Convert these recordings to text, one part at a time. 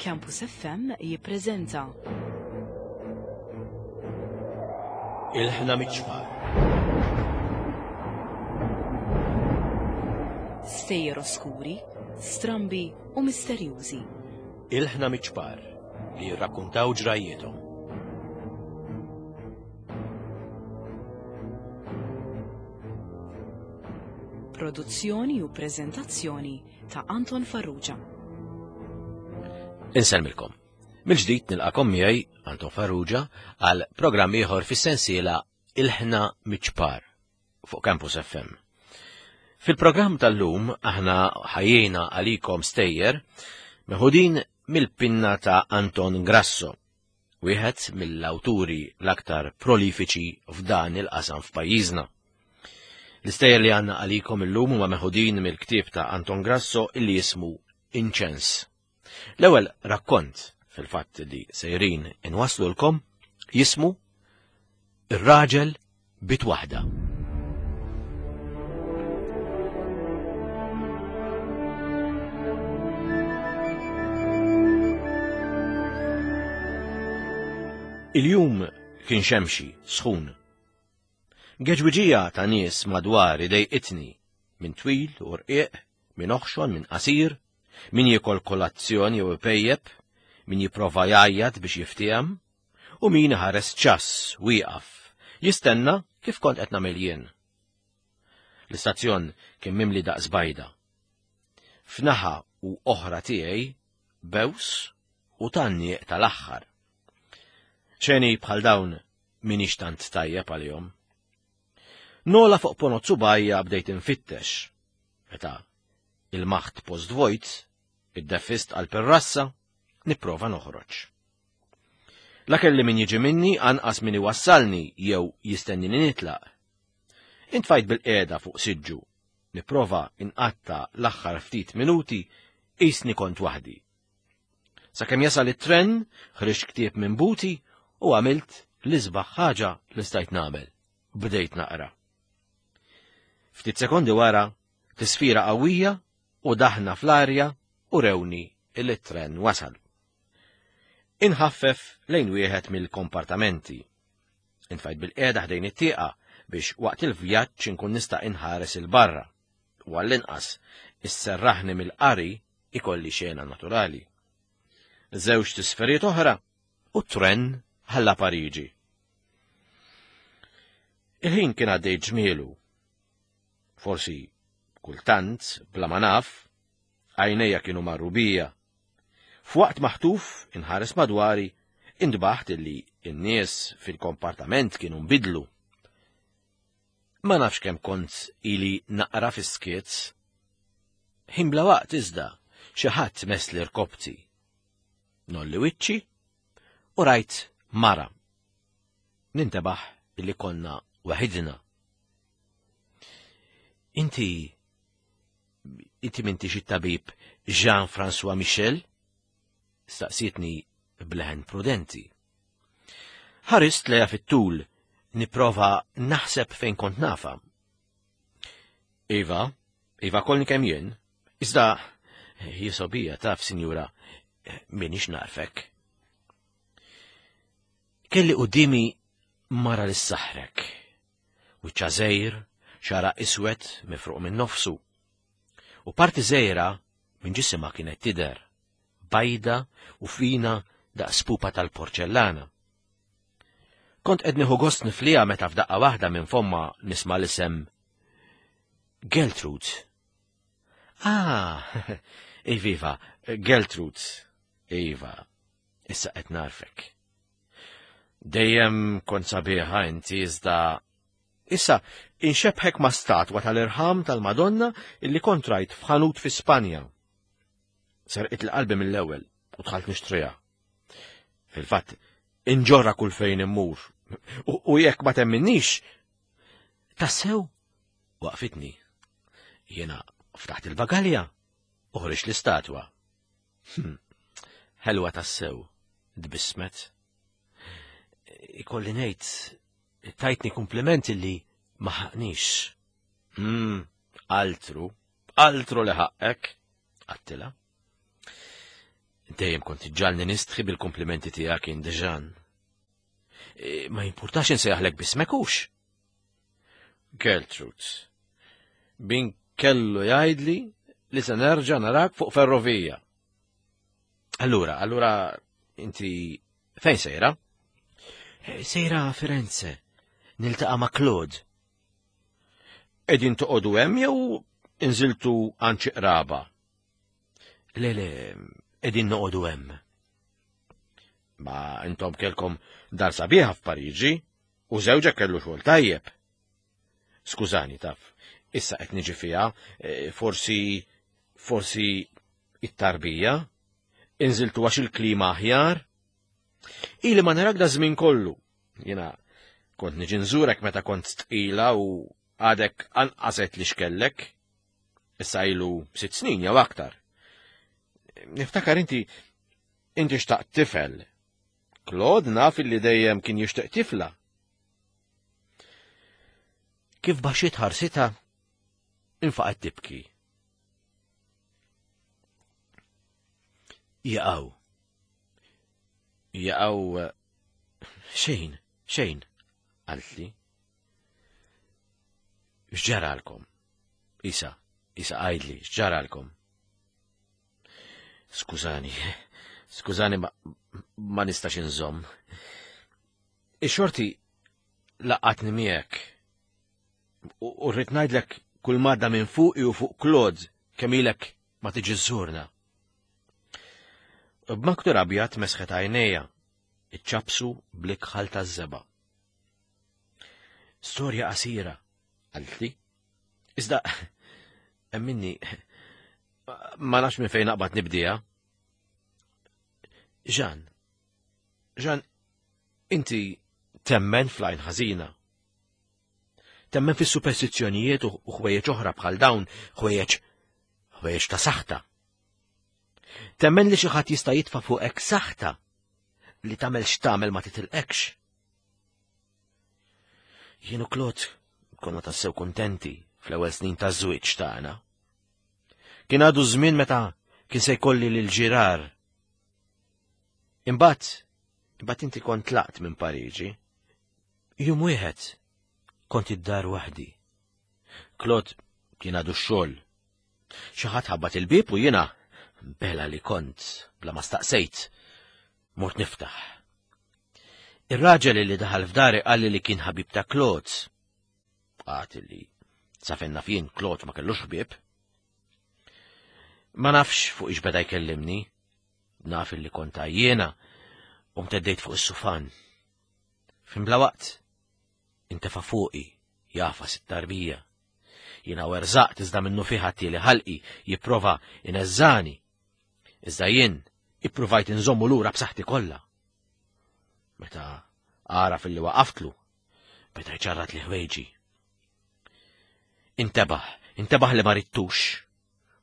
Campus FM jippreżenta. Il-ħna miċ-ċpar. Stejjer oskuri, strambi u misterjużi. Il-ħna miċ-ċpar li jirrakkuntaw ġrajjiethom. Produzzjoni u preżentazzjoni ta' Anton Farrugia. Insellmilkom. Mill-ġdid nilqakom miegħi Anton Farrugia għal programm ieħor fis-sensiela Il-ħna miċ-ċpar fuq Campus FM. Fil-programm tal-lum aħna ħajjina għalikom stejjer meħudin mill-pinna ta' Anton Grasso, wieħed mill-awturi l-aktar prolifiċi f'dan il-qasam f'pajjiżna. L-istejjer li għandna għalikom illum huma meħudin mill-ktieb ta' Anton Grasso illi jismu Inċens. L-ewwel rakkont fil-fatt li sejrin inwaslulkom jismu Ir-raġel bit waħda. Il-jum kien xemxi, sħun. Geġwiġija ta' nies madwar idejqitni, minn twil u rqiq, minn oħxon, minn qasir, min jiekol kolazzjon jew ipejjep, min jipprova jgħajjat biex jiftiehem, u min iħares ċass wieqaf, jistenna kif kont qed nagħmel jien. L-istazzjon kien mimli daqs bajda. F'naħa u oħra tiegħi bews u tannieq tal-aħħar. Xeni bħal dawn minix tant tajjeb għalihom. Nola fuq ponot subajja bdejt infittex. Meta il-maħt post vojt, id-defist għal perrassa, nipprova noħroġ. La kelli min jiġi minni anqas min iwassalni jew jistennini nitlaq. Intfajt bil-qiegħda fuq siġġu, nipprova inqatta l-aħħar ftit minuti qisni kont waħdi. Sakemm jasal it-tren, ħriġt ktieb minn buti u għamilt l-isbaħ ħaġa li stajt nagħmel. Bdejt naqra. Ftit sekondi wara, tisfira qawwija u daħna fl-arja u rewni li t-tren wasal. Inħaffef lejn wieħed mill-kompartamenti. Intfajt bil-qiegħda ħdejn it-tieqa biex waqt il-vjaġġ inkun nista' inħares 'il barra u għall-inqas isserraħni mill-qari ikolli xena naturali. Żewġ tisferiet oħra u t-tren ħalla Pariġi. Il-ħin kien għaddej ġmielu. Forsi kultant, bla ma naf, għajnejja kienu marru bija F'waqt maħtuf inħares madwari, intbaħt illi n-nies fil-kompartament kienu nbidlu. Ma nafx kemm kont ili naqra fis-skiet. Ħin bla waqt iżda xi ħadd mess li rkobti. Nolli wiċċi u rajt mara. Nintebaħ illi konna waħidna. Inti Inti m'intix it-tabib Jean-François Michel? Staqsietni b'leħen prudenti. Ħarist leja fit-tul nipprova naħseb fejn kont nafa. Iva, iva kolni kemm jien, iżda jisobija taf, sinjura, minix narfek. Kelli qudiemi mara li saħrek. Wiċċha żgħir, xagħarha iswed mifruq minn nofsu. U parti żgħira minn ġisimha kienet tidher, bajda u fina daqs pupa tal-porċellana. Kont qed nieħu gost nifliha meta f'daqqa waħda minn fomma nisma' l-isem Geltrud. Ah, iviva, Geltrud. Iva, issa qed narfek. Dejjem kont sabiħa inti iżda issa inxebħek ma' statwa tal-irħam tal-Madonna illi kont rajt f'ħanut fi Spanja. Serqit l-qalbi mill-ewwel u dħalt nixtriha. Fil-fatt, inġorra kull fejn immur. U jekk ma temminnix, tassew waqfitni. Jiena ftaħt il-bagalja u ħriġt l-istatwa. Hm, ħelwa tassew, tbissmet. Ikolli ngħid, tajtni kumpliment illi ma ħaqnix. Hmm, altru, altru li ħaqqek, għattila. Dejjem kont iġġalni nistħi bil-komplimenti tiegħek indiġan. E, ma jimpurtax insejjaħlek bismek hux. Gertrude, bin kellu jgħidli li se nerġa' narak fuq ferrovija. Allura, allura inti fejn sejra? E, sejra Firenze, niltaqa' ma' Claude. Qegħdin toqogħdu hemm jew inżiltu għand xi qraba? Le, le, qegħdin noqogħdu hemm. Ma intom kelkom dar sabiħa f'Pariġi u żewġek kellu xogħol tajjeb. Skużani taf, issa qed niġi fiha, e, forsi forsi it-tarbija, inżiltu għax il-klima aħjar. Ili ma narak da żmien kollu. Jiena kont niġi nżurek meta kont tqila u għadek anqaset li xkellek. Issa ilu sitt snin jew aktar. Niftakar inti inti xtaqt tifel. Claude naf illi dejjem kien jixtieq tifla. Kif baxxiet ħarsitha, infaqgħet tibki. Jaqaw. Jaqaw xejn, xejn, qaltli. X'ġaralkom? Isa, isa għajdli, x'ġaralkom? Skużani, skużani ma, ma nistax inżomm. Ix-xorti laqatni miegħek. U rrid ngħidlek kull madda minn fuqi u fuq Claude kemm ilek ma tiġi żżurna. B'maktur abjad mesħet għajnejja, iċċapsu bl-ikħal taż-żeba. Storja qasira, qaltli. Iżda, emminni, ma nafx minn fejn naqbad nibdija. Ġan, Ġan, inti temmen fl-għajn ħażina. Temmen fis-superstizzjonijiet u ħwejjeġ oħra bħal dawn, ħwejjeġ ħwejjeġ ta' saħta. Temmen li xi ħadd jista' jitfa' fuqek saħta li tagħmel x'tagħmel ma titilqekx. Jien u Klot konna tassew kuntenti fl-ewwel snin taż-żwieġ tagħna. Kien għadu żmien meta kien se jkolli lil ġirar. Imbagħad, imbagħad inti kont tlaqt minn Pariġi. Jum wieħed kont id-dar waħdi. Klot kien għadu x-xogħol. Xi ħadd ħabbat il-bieb u jiena bela li kont bla ma staqsejt. Mort niftaħ. Ir-raġel li daħal f'dari qalli li kien ħabib ta' Claude. Qat li sa fejn naf jien Claude ma kellux ħbieb. Ma nafx fuq ix beda jkellimni, naf li kont għajjiena u mteddejt fuq is-sufan. Fin bla waqt, intefa' fuqi jafas it-tarbija. Jiena werżaqt iżda minnu fiha tieli ħalqi jipprova ineżżani Iżda jien ippruvajt inżommu lura b'saħħti kollha. Meta għaraf illi waqaftlu, beda jċarrat li ħwejġi. Intebaħ, intebaħ li ma rittux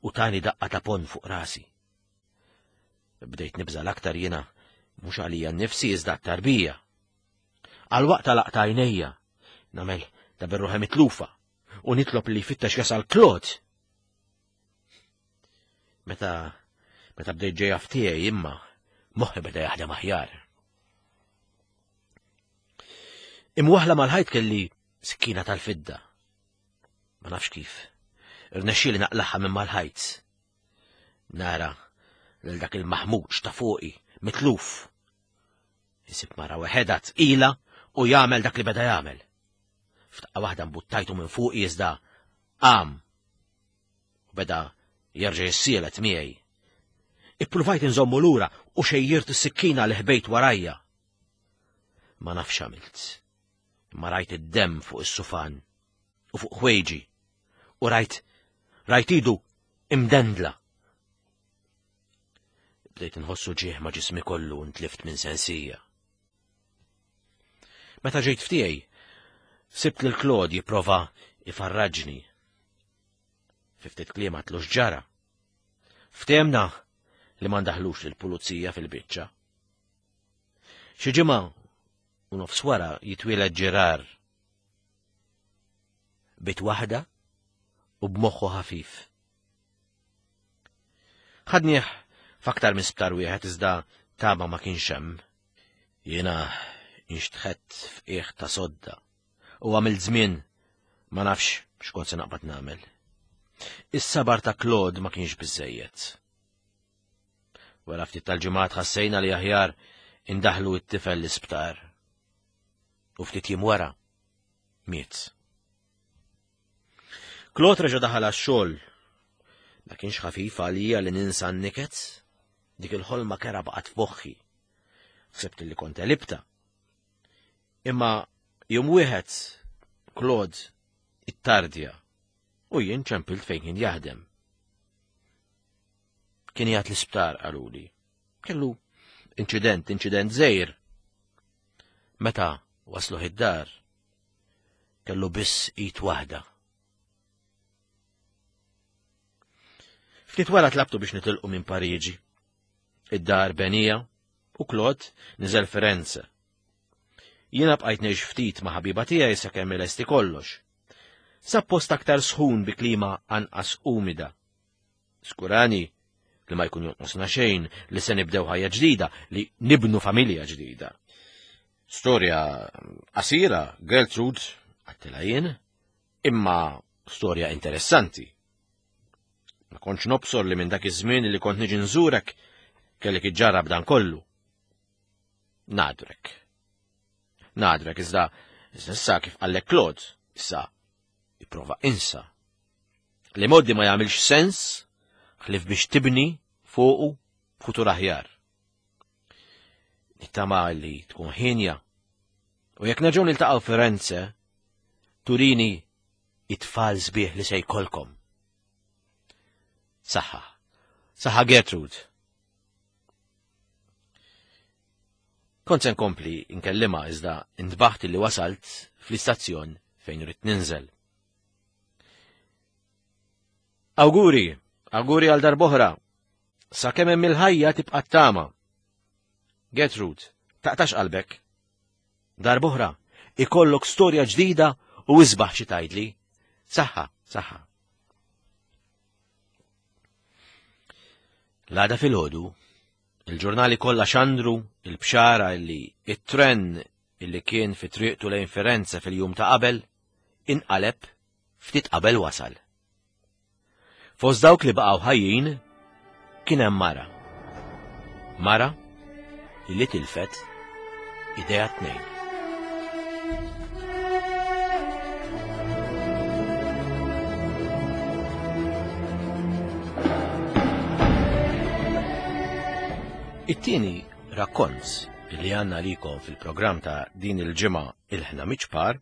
u tani daqqa ta' pon fuq rasi. Bdejt nibża l-aktar jiena mhux għalija nnifsi iżda t-tarbija. Għal waqt għalaqt għajnejja, nagħmel ta' berruħe mitlufa u nitlob li jfittex jasal Klod Meta meta bdejt ġejja f'tiegħi imma moħħi beda jaħdem aħjar. Imwaħla mal-ħajt kelli sikkina tal-fidda. Ma nafx kif. Irnexxieli naqlaħħa minn mal-ħajt. Nara lil dak il-maħmuġ ta' fuqi mitluf. Isib mara weħeda tqila u jagħmel dak li beda jagħmel. F'daqqa waħda mbuttajtu minn fuqi iżda qam u beda jerġa' jissielet miegħi. Ippruvajt inżommu lura u xejjirt is-sikkina li ħbejt warajja. Ma nafx għamilt. Imma rajt id-demm fuq is-sufan u fuq ħwejġi u rajt rajt idu imdendla. Bdejt nħossu ġieħ ma' ġismi kollu u ntlift minn sensija. Meta ġejt ftiegħi, sibt lil Claude jipprova ifarraġni. Fi ftit kliem għatlu x'ġara. Ftehemna li ma ndaħlux lill-pulizija fil-biċċa. Xi ġimgħa u nofs wara jitwieled Ġerar. Bit waħda u b'moħħu ħafif. Ħadnieh F'aktar minn sptar wieħed iżda tama ma kienx hemm. Jiena inxtħett f'qiegħ ta' sodda u għamilt żmien ma nafx x'kont se naqbad nagħmel. Is-sabar ta' Claude ma kienx biżejjed. Wara ftit tal-ġimgħat ħassejna li aħjar indaħlu t-tifel l-isptar. U ftit jiem wara miet. Claude reġa' daħal għax-xogħol. Ma kienx ħafif għalija li ninsa n-niket, dik il-ħolma kera baqgħet f'moħħi. Ħsibt li kont elibta. Imma jum wieħed Claude ittardja u jien ċempilt fejn kien jaħdem. Kien jgħat l-isptar qaluli. Kellu inċident, inċident żejr. Meta wasluh id-dar, kellu biss id waħda. Ftit wara tlabtu biex nitilqu minn Pariġi. Id-dar benija u Claude niżel Firenze. Jiena bqajt ngħix ftit ma' ħabiba tiegħi sakemm ilesti kollox. Sa post aktar sħun bi klima anqas umida. Skurani li ma jkun jonqosna xejn li se nibdew ħajja ġdida, li nibnu familja ġdida. Storja qasira, Gertrude, għattila jien, imma storja interessanti. Ma kontx nobsor li minn dak iż-żmien li kont niġi nżurek kellek iġġarrab dan kollu. Nadrek. Nadrek iżda issa kif qallek Claude, issa ipprova insa. Li moddi ma jagħmilx sens ħlif biex tibni fuqu futur aħjar. Nittama li tkun ħinja. U jekk nerġgħu niltaqgħu Firenze, turini it-tfal sbieħ li se jkollkom. Saħħa. Saħħa Gertrude. Kont se nkompli nkellima iżda ntbaħt li wasalt fl-istazzjon fejn rrid ninżel. Awguri, awguri għal darboħra. Sa kemm hemm il-ħajja tibqa' tama. Gertrude, taqtax qalbek. Darboħra, ikollok storja ġdida u isbaħ xi tgħidli. Saħħa, saħħa. L-għada fil-ħodu, il-ġurnali kollha xandru il-bxara illi it-tren illi kien fi triqtu lejn Firenze fil-jum ta' qabel inqaleb ftit qabel wasal. Fost dawk li baqgħu ħajjin kien hemm mara. Mara li tilfet idea tnejn. It-tieni rakkont li għanna likom fil-programm ta' din il-ġimgħa il-ħna miċpar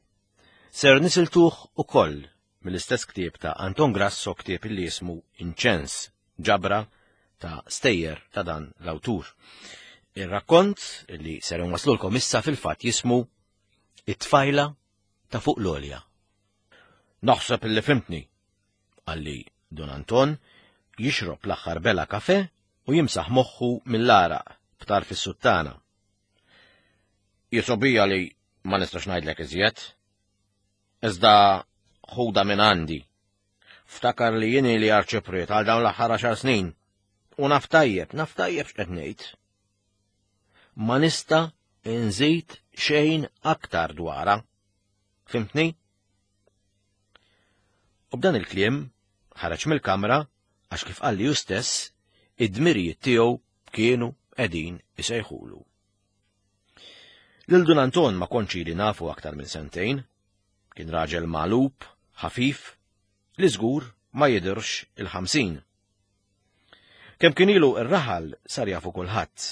ser nisiltuh ukoll mill-istess ktieb ta' Anton Grasso ktieb li jismu Inċens, ġabra ta' stejjer ta' dan l-awtur. Ir-rakkont li ser nwaslulkom issa fil-fatt jismu It-tfajla ta' fuq l-għolja. Naħseb illi fimtni, qalli Don Anton jixrob l-aħħar bela kafe u jimsaħ moħħu mill-għaraq b'tarf is-suttana. Jisobija li ma nistax ngħidlek iżjed. Iżda ħuda minn għandi. Ftakar li jien li arċipriet għal dawn l-aħħar għaxar snin. U naf tajjeb, naf tajjeb x'qed ngħid. Ma nista' nżid xejn aktar dwarha. Fimtni? U b'dan il-kliem ħareġ mill-kamra għax kif qalli hu stess id-dmirijiet tiegħu kienu qegħdin isejħulu. Lil Dun Anton ma kontx ili nafu aktar minn sentejn. Kien raġel magħlub, ħafif, li żgur ma jidhirx il-50. Kemm kien ilu r-raħal sar jafu kulħadd.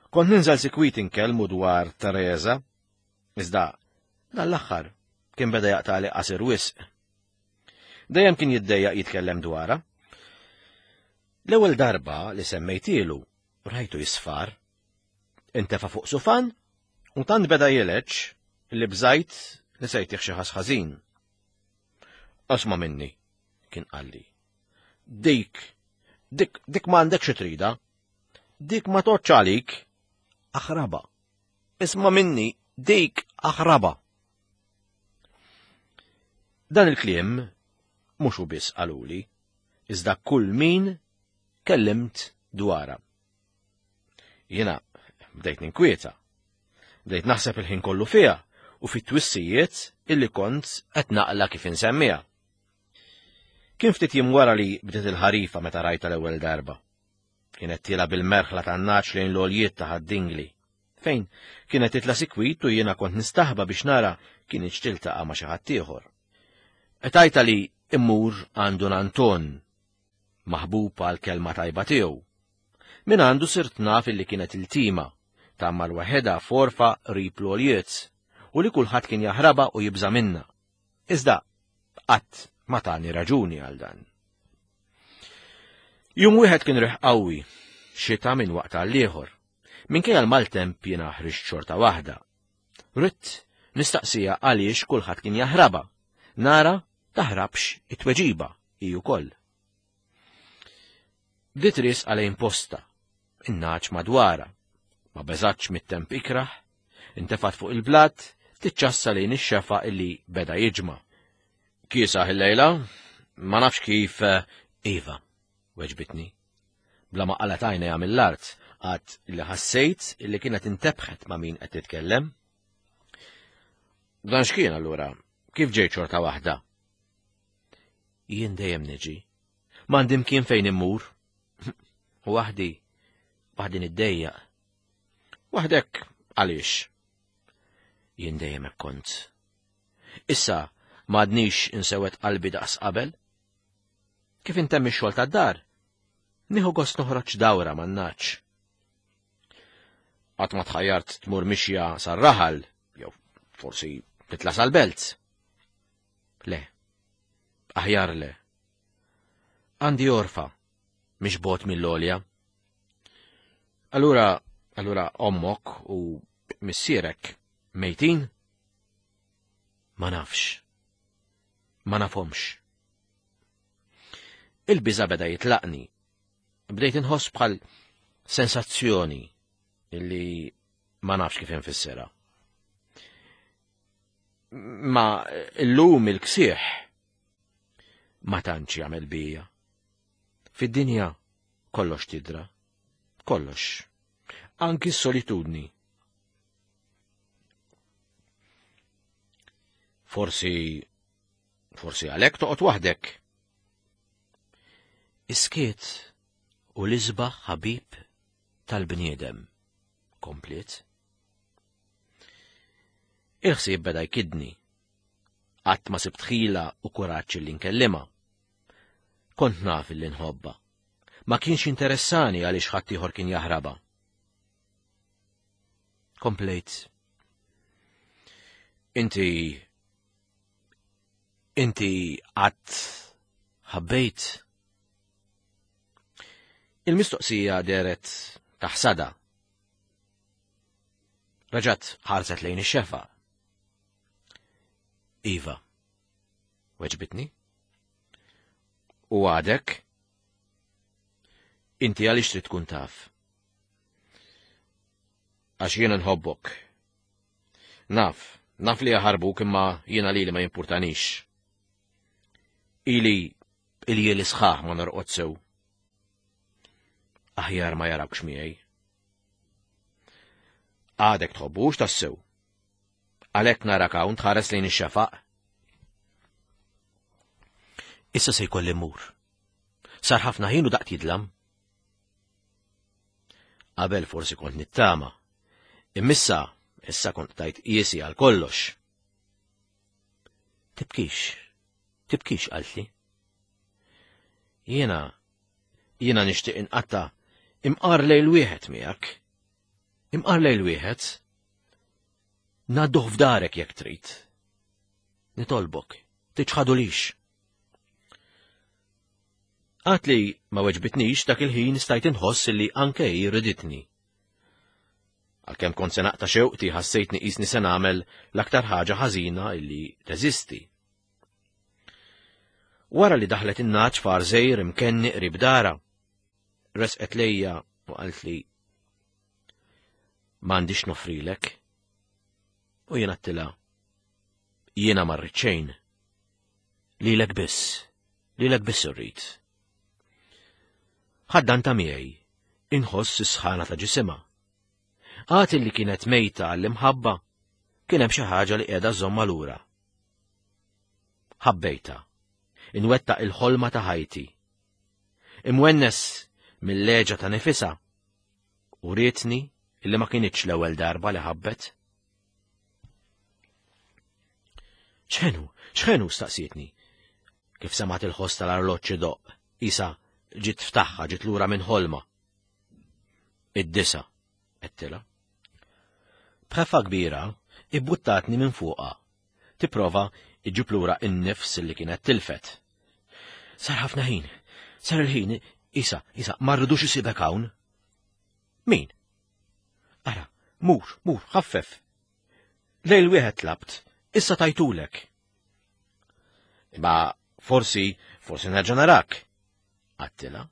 Kont ninżel sikwit inkellmu dwar Teresa, iżda dan l-aħħar kien beda jaqtali qasir wisq. Dejjem kien jiddejjaq jitkellem dwarha. L-ewwel darba li semmejtielu rajtu jisfar. Intefa' fuq sufan u tant beda jileġ li bżajt li se jtih xi ħas ħażin. Asma minni, kien qalli. Dik, dik, dik ma għandek xi trida. Dik ma toċċ għalik. Aħraba. Isma minni, dik aħraba. Dan il-kliem mhux hu biss qaluli, iżda kull min kellimt dwarha. Jiena bdejt ninkwieta. Bdejt naħseb il-ħin kollu fiha u fit-twissijiet illi kont qed naqla kif insemmiha. Kien ftit jiem wara li bdiet il-ħarifa meta rajta l-ewwel darba. Kienet tiela bil-merħla tan-naċ lejn l-għoljiet ta' Ħad-Dingli, fejn kienet titla' sikwit u jiena kont nistaħba biex nara kinitx tiltaqa' ma' xi ħadd ieħor. Qtajtha li mmur għand Dun Anton, maħbub għall-kelma tajba tiegħu. Minn għandu sirt naf illi kienet iltima, tgħammar waħedha f'għorfa qrib l-għoljiet, u li kulħadd kien jaħrabha u jibża' minnha. Iżda qatt ma tani raġuni għal dan. Jum wieħed kien riħ qawwi, xita minn waqt għal ieħor. Minkejja l-maltemp jiena ħriġt xorta waħda. Ridt nistaqsija għaliex kulħadd kien jaħrabha. Nara taħrabx it-tweġiba hi wkoll. Bdiet riesqa lejn posta, in-nagħaġ madwarha. Ma beżgħatx mit-temp ikrah, intefgħet fuq il-blat, tiċċassa lejn ix-xefaq illi beda jiġma'. Kiesaħ illejla, ma nafx kif eh, Iva, weġbitni. Bla ma qalgħet għajnejha mill-art, għad li ħassejt illi kienet intebħet ma' min qed titkellem. Dan x'kien allura? Kif ġejt xorta waħda? Jien dejjem niġi. M'għandi mkien fejn immur. Waħdi, waħdi niddejjaq. Waħdek għaliex? Jien dejjem hekk kont. Issa m'għadnix insewed qalbi daqs qabel. Kif intemm ix-xogħol tad-dar? Nieħu gost noħroġ dawra man-naċ. Qatt ma tħajjart tmur mixja sar-raħal, jew forsi titla' sal-belt. Le, aħjar le. Għandi orfa, mhix bot mill-olja. Allura, allura ommok u missierek mejtin? Ma nafx. Ma nafhomx. Il-biża beda jitlaqni. Bdejt inħoss bħal sensazzjoni illi ma nafx kif infissirha. Ma illum il-ksieħ ma tantx jagħmel bija. Fid-dinja kollox tidra, kollox. Anki s-solitudni. Forsi, forsi għalhekk toqgħod waħdek. Iskiet u l-isbaħ ħabib tal-bniedem, kompliet. Il-ħsieb beda jkidni. Qatt ma sibt ħila u kuraġġ li nkellimha. Kont naf illi nħobbha. Ma kienx interessani għaliex ħaddieħor kien jaħrabha. Komplejt. Inti inti qatt ħabbejt? Il-mistoqsija dehret taħsada. Reġgħet ħarset lejn ix-xefa. Iva, weġbitni. U għadek? Inti għaliex trid tkun taf? Għax jiena nħobbok. Naf, naf li jaħarbuk imma jiena lili ma jimpurtanix. Ili iljieli sħaħ ma norqod sew. Aħjar ma jarawkx miegħi. Għadek tħobbux tassew. Għalhekk narak hawn tħares lejn ix-xefaq. Issa se jkolli mmur. Sar ħafna ħin u daqt jidlam. Qabel forsi kont nittama. Immissa, issa kont tajt qiesi għal kollox. Tibkix, tibkix qaltli. Jiena, jiena nixtieq inqatta' imqar lejl wieħed miegħek. Imqar lejl wieħed. Ngħadduh f'darek jekk trid. Nitolbok, tiċħadulix. Għad li ma weġbitnix dak il-ħin stajt inħoss li anke hi riditni. Għalkemm kont se naqta' xewqti ħassejtni qisni se nagħmel l-aktar ħaġa ħażina illi teżisti. Wara li daħlet in-naċ far żejr imkenni qrib dara, resqet lejja u qaltli m'għandix nofrilek. U jien għattilha jiena ma rrid xejn. Lilek biss, lilek biss irrid. Ħaddan ta' miegħi. Inħoss is-sħana ta' ġisimha. Għad li kienet mejta għall-imħabba, kien hemm xi ħaġa li qiegħda żomma lura. Ħabbejta. Inwettaq il-ħolma ta' ħajti. Imwennes mill-leġa ta' nifisha. U rietni illi ma kinitx l-ewwel darba li ħabbet. ċħenu, ċħenu, staqsietni. Kif semat il-ħoss tal-arloġġ idoqq, isa ġiet ftaħħa ġiet lura minn ħolma. Id-disa, għedtilha. B'ħeffa kbira, ibbuttatni minn fuqha. Tipprova iġġib lura n-nifs li kienet tilfet. Sar ħafna ħin, sar il-ħin, isa, isa, ma rridux isibek hawn. Min? Ara, mur, mur, ħaffef. Lejl wieħed tlabt, issa tajtulek. Imma forsi, forsi nerġa' narak. Għattila,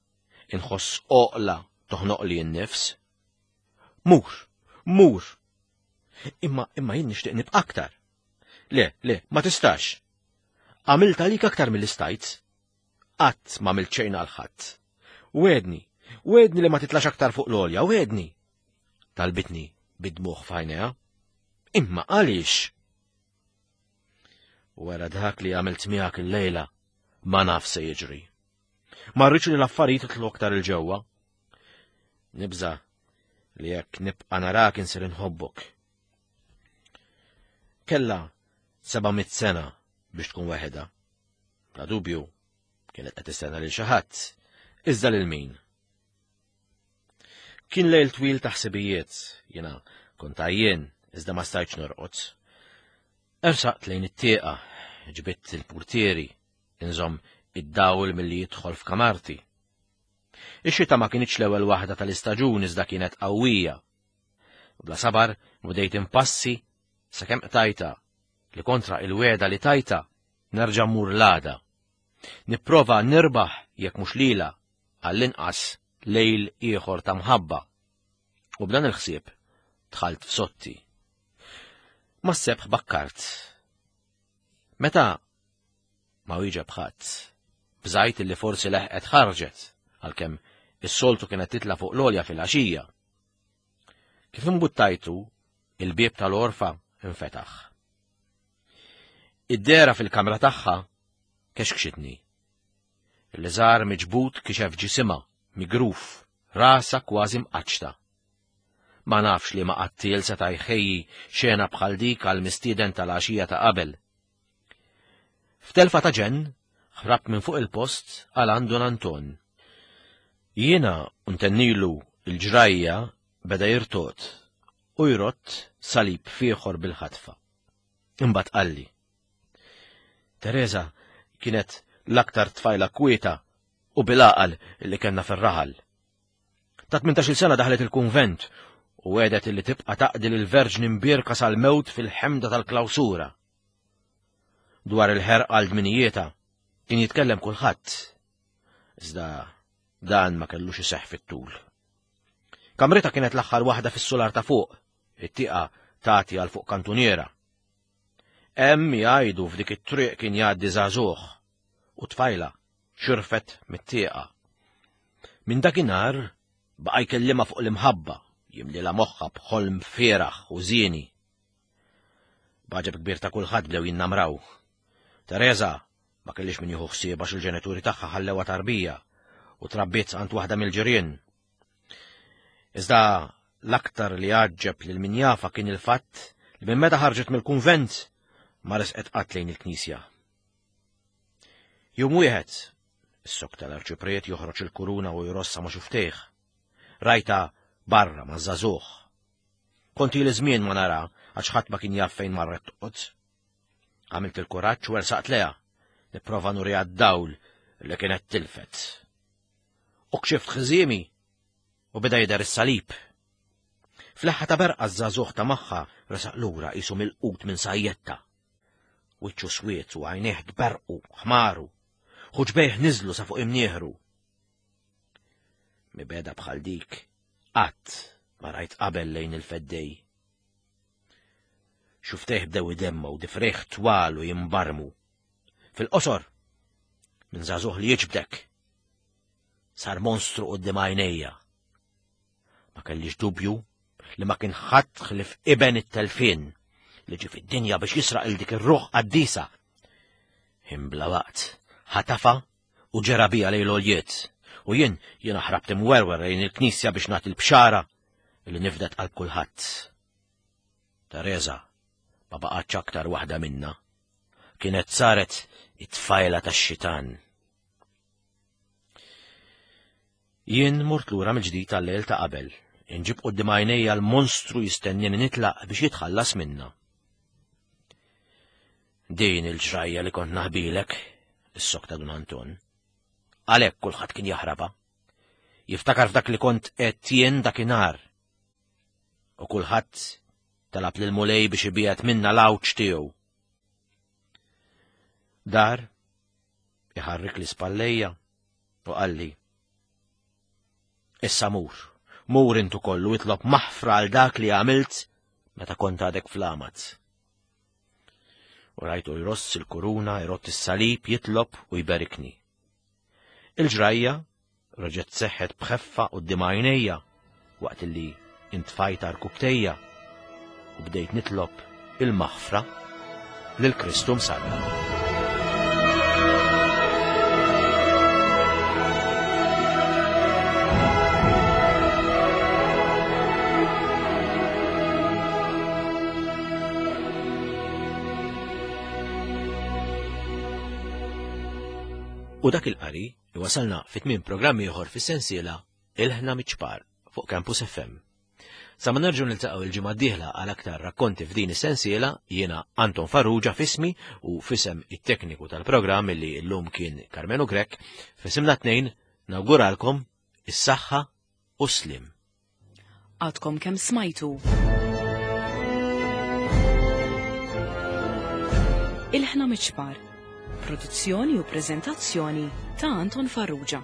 inħoss oqla toħnoqli n-nifs. Mur, mur. Imma, imma jien nixtieq nibqa' aktar. Le, le, ma tistax. Għamilt għalik aktar mill-istajt. Qatt ma għamilt xejn għal ħadd. Wedni, wedni li ma titlax aktar fuq l-olja, wedni. Talbitni bid-dmuħ f'għajnejha. Imma għaliex? Wara dak li għamilt miegħek illejla, ma naf se jiġri. Ma rridx li l-affarijiet jitlu aktar il-ġewwa. Nibża li jekk nibqa' narak insir inħobbok. Kella 700 sena biex tkun waħedha. Bla dubju, kienet qed tistenna lil xi ħadd, iżda lil min? Kien lejl twil ta' ħsibijiet, jiena kont għajjien iżda ma stajtx norqod. Ersaqt lejn it-tieqa, ġbidt il-purtieri, inżomm id-dawl milli jidħol f'kamarti. Ix-xita ma kinitx l-ewwel waħda tal-istaġun iżda kienet qawwija. Bla sabar bdejt impassi sakemm qtajta li kontra il-wegħda li tajta nerġa' mmur l-għada. Nipprova nirbaħ jekk mhux lilha għall-inqas lejl ieħor ta' mħabba. U b'dan il-ħsieb dħalt f'sotti. Mas-sebħ bakkart. Meta ma wieġeb ħadd, bżajt li forsi leħqet ħarġet, għalkemm is-soltu kienet titla' fuq l-għolja fil-għaxija. Kif imbuttajtu, il-bieb tal-għorfa infetaħ. Id-dehra fil-kamra tagħha kexkxitni. Il-liżar miġbud kixef ġisimha, migruf, rasha kważi mqaċċta. Ma nafx liema qattiel seta' jħejji xena bħal dik għall-mistieden tal-għaxija ta' qabel. F'telfa ta' ġenn, ħrabt minn fuq il-post għal għand Dun Anton. Jiena u ntennilu l-ġrajja beda jirtogħod u jrott salib f'ieħor bil-ħatfa. Imbagħad qalli. Teresa kienet l-aktar tfajla kwieta u bil-għaqal li kellna fir-raħal. Ta' 18-il sena daħlet il-kunvent u għedet li tibqa' taqdi lill-Verġni Mbierka sal-mewt fil-ħemda tal-klawsura. Dwar il-ħerqa għal dminijietha kien jitkellem kulħadd. Iżda dan ma kellux iseħħ fit-tul. Kamrita kienet l-aħħar waħda fis-sular ta' fuq, it-tieqa tagħti għal fuq kantuniera. Hemm jgħidu f'dik it-triq kien jgħaddi żagħżugħ u tfajla xirfet mit-tieqa. Minn dakinhar baqa' jkellimha fuq l-imħabba, jimlilha moħħha b'ħolm fieragħ u żieni. B'għaġeb kbir ta' kulħadd bdew jinnamraw. Tereża ma kellhiex min jieħu ħsieb għax il-ġenituri tagħha ħallewha tarbija u trabbiet għand waħda mill-ġirien. Iżda l-aktar li għaġġeb lil min jafa kien il-fatt li minn meta ħarġet mill-kunvent ma resqet qatt lejn il-knisja. Jum wieħed, is-sok tal-arċipriet joħroġ il-kuruna u jrossa ma' xuftejh. Rajta barra ma' żagħżugħ. Kont ili żmien ma nara għax ħadd ma kien jaf fejn marret toqgħod. Għamilt il-kuraġġ u ersaqt leha, nipprova nuriha d-dawl li kienet tilfet. U kxift ħżiemi u beda jidher is-salib. Fl-eħħa ta' berqa ż-żagħżugħ ta' magħha resaq lura qisu milqut minn sajjetta. Wiċċu swied u għajnejh tberrqu, ħmaru. Ħuġbejh niżlu sa fuq imnieħru. Mibeda bħal dik qatt ma rajt qabel lejn il-feddej. Xuftejh bdew idemmu u difrejh twal u jimbarmu. Fil-qosor, minn żagħżugħ li jiġbdek, sar monstru quddiem għajnejja. Ma kellix dubju li ma kien ħadd ħlief iben it-telfien li ġie fid-dinja biex jisraq il dik ir-ruħ qaddisa. Imbla waqt, ħatafa u ġera bija lejn l-għoljiet, u jien jiena ħrabt imwerwer lejn il-knisja biex nagħti l-bxara li nifdet qalb kulħadd. Teresa ma baqgħetx aktar waħda minna. Kienet saret it-tfajla tax-xitan. Jien mort lura mill-ġdid għal-lejl ta' qabel, inġib quddiem għajnejja l-monstru jistennini nitlaq biex jitħallas minna. Din il-ġrajja li kont naħbilek, is-sokta Dun Anton. Għalhekk kulħadd kien jaħrabha. Jiftakar f'dak li kont qed jien dakinhar. U kulħadd talab lil Mulej biex ibiegħed minna l-għawġ tiegħu. Dar iħarrik l-ispallejja u qalli, Issa mur, mur int ukoll u itlob maħfra għal dak li għamilt meta kont għadek fl-għamad. U rajtu jross il-kuruna, jrott is-salib, jitlob u jberikni. Il-ġrajja reġgħet seħħet b'ħeffa quddiem għajnejja waqt li intfajt għarkupptejja u bdejt nitlob il-maħfra lil Kristu msallab. U dak il-qari iwasalna fit-tmiem programm ieħor fis-sensiela Ilħna miċ-ċpar fuq Campus FM. Sa ma nerġgħu niltaqgħu il-ġimgħa d-dieħla għal aktar rakkonti f'din is-sensiela, jiena Anton Farrugia f'ismi u f'isem it-tekniku tal-programm li llum kien Karmenu Grech, f'isimna tnejn nawguralkom is-saħħa u s-sliem. Għadkom kemm smajtu. Ilħna miċ-ċpar. Produzzjoni u preżentazzjoni ta' Anton Farrugia.